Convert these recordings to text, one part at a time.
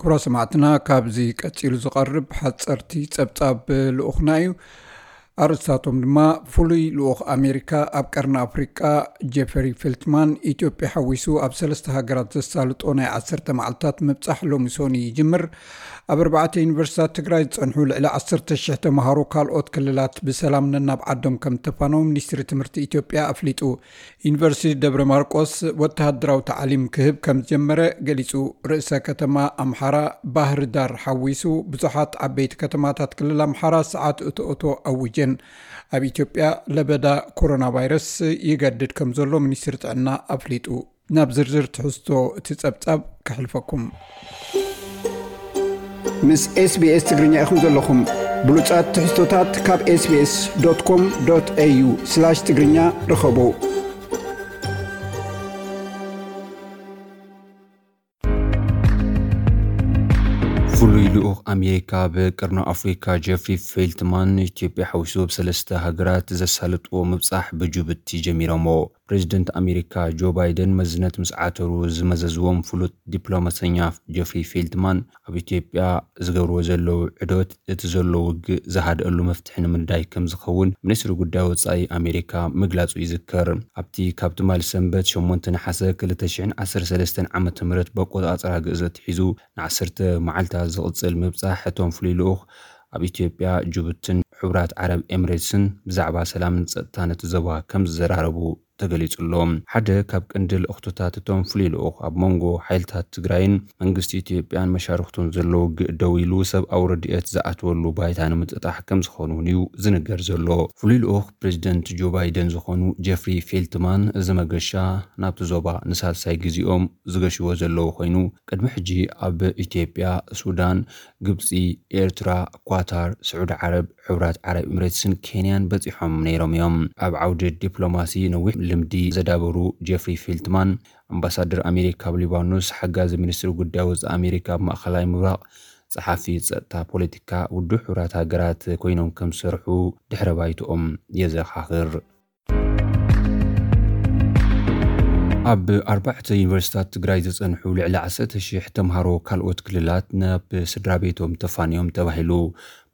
ክቡራት ሰማዕትና፣ ካብዚ ቀጺሉ ዝቐርብ ሓጸርቲ ጸብጻብ ልኡኽና እዩ። ኣርእስታቶም ድማ፣ ፍሉይ ልኡኽ ኣሜሪካ ኣብ ቀርኒ ኣፍሪቃ ጄፈሪ ፌልትማን፣ ኢትዮጵያ ሓዊሱ ኣብ ሰለስተ ሃገራት ዘሳልጦ ናይ ዓሰርተ መዓልታት ምብጻሕ ሎሚ ሶኒ ይጅምር። ኣብ ኣርባዕተ ዩኒቨርሲታት ትግራይ ዝጸንሑ ልዕሊ ዓሰርተ ሽሕ ተምሃሮ ካልኦት ክልላት ብሰላም ነናብ ዓዶም ከም ተፋነው ሚኒስትሪ ትምህርቲ ኢትዮጵያ ኣፍሊጡ። ዩኒቨርሲቲ ደብረ ማርቆስ ወተሃደራዊ ታዕሊም ክህብ ከም ዝጀመረ ገሊጹ። ርእሰ ከተማ ኣምሓራ ባህር ዳር ሓዊሱ ብዙሓት ዓበይቲ ከተማታት ክልል ኣምሓራ ሰዓት እቶ እቶ ኣውጀን። ኣብ ኢትዮጵያ ለበዳ ኮሮና ቫይረስ ይገድድ ከም ዘሎ ሚኒስትሪ ጥዕና ኣፍሊጡ። ናብ ዝርዝር ትሕዝቶ እቲ ጸብጻብ ከሕልፈኩም። ምስ ኤስቢኤስ ትግርኛ ኢኹም ዘለኹም። ብሉጻት ትሕዝቶታት ካብ ኤስቢኤስ ዶት ኮም ዶት ኤዩ ስላሽ ትግርኛ ርኸቡ። ፍሉይ ልኡኽ ኣሜሪካ ኣብ ቀርኒ ኣፍሪካ ጄፍሪ ፌልትማን፣ ኢትዮጵያ ሓዊሱ ኣብ ሰለስተ ሃገራት ዘሳለጥዎ ምብጻሕ ብጅቡቲ ጀሚሮሞ። ፕሬዚደንት ኣሜሪካ ጆ ባይደን መዝነት ምስ ዓተሩ ዝመዘዝዎም ፍሉጥ ዲፕሎማሰኛ ጄፍሪ ፌልትማን፣ ኣብ ኢትዮጵያ ዝገብርዎ ዘለዉ ዕዶት እቲ ዘሎ ውግእ ዝሃድአሉ መፍትሒ ንምንዳይ ከም ዝኸውን ሚኒስትሪ ጉዳይ ወጻኢ ኣሜሪካ ምግላጹ ይዝከር። ኣብቲ ካብ ትማሊ ሰንበት ሸሞንተ ነሓሰ ክልተ ሽሕን ዓሰርተ ሰለስተን ዓመተ ምህረት በቆጻጽራ ግእዝ ኣትሒዙ ንዓሰርተ መዓልታት ዝቕጽል ምብጻሕ እቶም ፍሉይ ልኡኽ ኣብ ኢትዮጵያ፣ ጅቡትን ሕቡራት ዓረብ ኤምሬትስን ብዛዕባ ሰላምን ጸጥታን እቲ ዞባ ከም ዝዘራረቡ ተገሊጹ ኣሎ። ሓደ ካብ ቀንዲ ልእኽቶታት እቶም ፍሉይ ልኡኽ ኣብ መንጎ ሓይልታት ትግራይን መንግስቲ ኢትዮጵያን መሻርኽቱን ዘሎ ውግእ ደው ኢሉ ሰብኣዊ ረድኤት ዝኣትወሉ ባይታ ንምጥጣሕ ከም ዝኾኑ እውን እዩ ዝንገር ዘሎ። ፍሉይ ልኡኽ ፕሬዚደንት ጆ ባይደን ዝኾኑ ጄፍሪ ፌልትማን፣ እዚ መገሻ ናብቲ ዞባ ንሳልሳይ ግዜኦም ዝገሽዎ ዘለዉ ኮይኑ፣ ቅድሚ ሕጂ ኣብ ኢትዮጵያ፣ ሱዳን፣ ግብጺ፣ ኤርትራ፣ ኳታር፣ ስዑዲ ዓረብ፣ ሕቡራት ዓረብ ኤምሬትስን ኬንያን በጺሖም ነይሮም እዮም። ኣብ ዓውዲ ዲፕሎማሲ ነዊሕ ልምዲ ዘዳበሩ ጄፍሪ ፌልትማን፣ ኣምባሳደር ኣሜሪካ ኣብ ሊባኖስ፣ ሓጋዚ ሚኒስትሪ ጉዳይ ወጻኢ ኣሜሪካ ኣብ ማእኸላይ ምብራቕ፣ ጸሓፊ ጸጥታ ፖለቲካ ውድብ ሕቡራት ሃገራት ኮይኖም ከም ዝሰርሑ ድሕረ ባይትኦም የዘኻኽር። ኣብ ኣርባዕተ ዩኒቨርሲታት ትግራይ ዝጸንሑ ልዕሊ ዓሰርተ ሽሕ ተምሃሮ ካልኦት ክልላት ናብ ስድራ ቤቶም ተፋንዮም ተባሂሉ።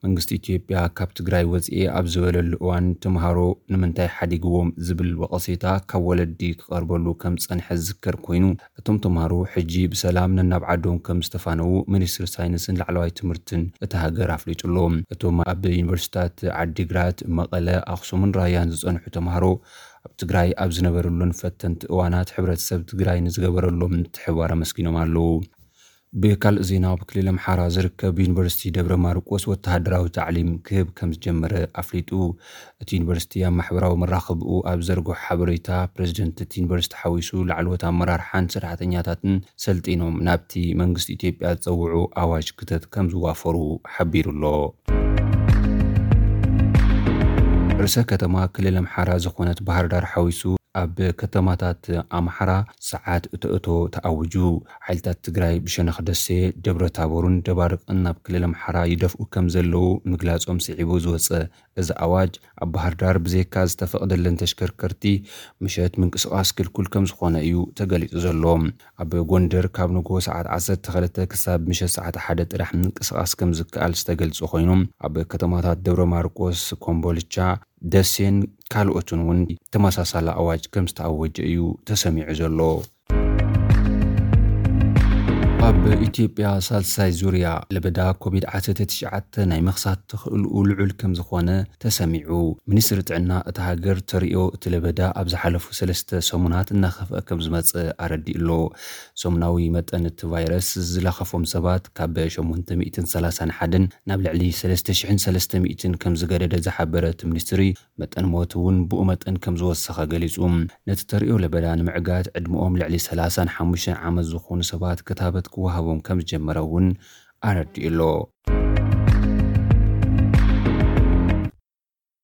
መንግስቲ ኢትዮጵያ ካብ ትግራይ ወጽኤ ኣብ ዝበለሉ እዋን፣ ተምሃሮ ንምንታይ ሓዲግዎም ዝብል ወቐሴታ ካብ ወለዲ ክቐርበሉ ከም ዝጸንሐ ዝዝከር ኮይኑ፣ እቶም ተምሃሮ ሕጂ ብሰላም ነናብ ዓዶም ከም ዝተፋነዉ ሚኒስትሪ ሳይንስን ላዕለዋይ ትምህርትን እታ ሃገር ኣፍሊጡ ኣሎ። እቶም ኣብ ዩኒቨርሲታት ዓዲግራት፣ መቐለ፣ ኣኽሱምን ራያን ዝጸንሑ ተምሃሮ፣ ኣብ ትግራይ ኣብ ዝነበረሉን ፈተንቲ እዋናት ሕብረተሰብ ትግራይ ንዝገበረሎም ምትሕብባር ኣመስጊኖም ኣለዉ። ብካልእ ዜና፣ ኣብ ክልል ኣምሓራ ዝርከብ ዩኒቨርሲቲ ደብረ ማርቆስ ወተሃደራዊ ታዕሊም ክህብ ከም ዝጀመረ ኣፍሊጡ። እቲ ዩኒቨርሲቲ ኣብ ማሕበራዊ መራኸብኡ ኣብ ዘርግሖ ሓበሬታ፣ ፕሬዚደንት እቲ ዩኒቨርሲቲ ሓዊሱ ላዕለዎት ኣመራርሓን ሰራሕተኛታትን ሰልጢኖም ናብቲ መንግስቲ ኢትዮጵያ ዝጸውዑ ኣዋጅ ክተት ከም ዝዋፈሩ ሓቢሩ ኣሎ። ርእሰ ከተማ ክልል ኣምሓራ ዝኾነት ባህር ዳር ሓዊሱ ኣብ ከተማታት ኣምሓራ ሰዓት እቶ እቶ ተኣዊጁ። ሓይልታት ትግራይ ብሸነኽ ደሴ፣ ደብረ ታቦርን ደባርቅን ናብ ክልል ኣምሓራ ይደፍኡ ከም ዘለዉ ምግላጾም ስዒቡ ዝወጸ እዚ ኣዋጅ፣ ኣብ ባህር ዳር ብዘይካ ዝተፈቕደለን ተሽከርከርቲ ምሸት ምንቅስቓስ ክልኩል ከም ዝኾነ እዩ ተገሊጹ ዘሎ። ኣብ ጎንደር ካብ ንግሆ ሰዓት ዓሰርተ ክልተ ክሳብ ምሸት ሰዓት ሓደ ጥራሕ ምንቅስቓስ ከም ዝከኣል ዝተገልጸ ኮይኑ፣ ኣብ ከተማታት ደብረ ማርቆስ፣ ኮምቦልቻ፣ ደሴን ካልኦትን እውን ተመሳሳሊ ኣዋጅ ከም ዝተኣወጀ እዩ ተሰሚዑ ዘሎ። ኣብ ኢትዮጵያ ሳልሳይ ዙርያ ለበዳ ኮቪድ ዓሰርተ ትሽዓተ ናይ ምኽሳት ተኽእልኡ ልዑል ከም ዝኾነ ተሰሚዑ። ሚኒስትሪ ጥዕና እታ ሃገር ተርእዮ እቲ ለበዳ ኣብ ዝሓለፉ ሰለስተ ሰሙናት እናኸፍአ ከም ዝመጸ ኣረዲኡ ኣሎ። ሰሙናዊ መጠን እቲ ቫይረስ ዝለኸፎም ሰባት ካብ ሸሞንተ ሚእትን ሰላሳን ሓደን ናብ ልዕሊ ሰለስተ ሽሕን ሰለስተ ሚእትን ከም ዝገደደ ዝሓበረ እቲ ሚኒስትሪ፣ መጠን ሞት እውን ብኡ መጠን ከም ዝወሰኸ ገሊጹ። ነቲ ተርእዮ ለበዳ ንምዕጋት ዕድመኦም ልዕሊ ሰላሳን ሓሙሽተን ዓመት ዝኾኑ ሰባት ክታበት ክወሃቦም ከም ዝጀመረ እውን ኣረዲኡ ኣሎ።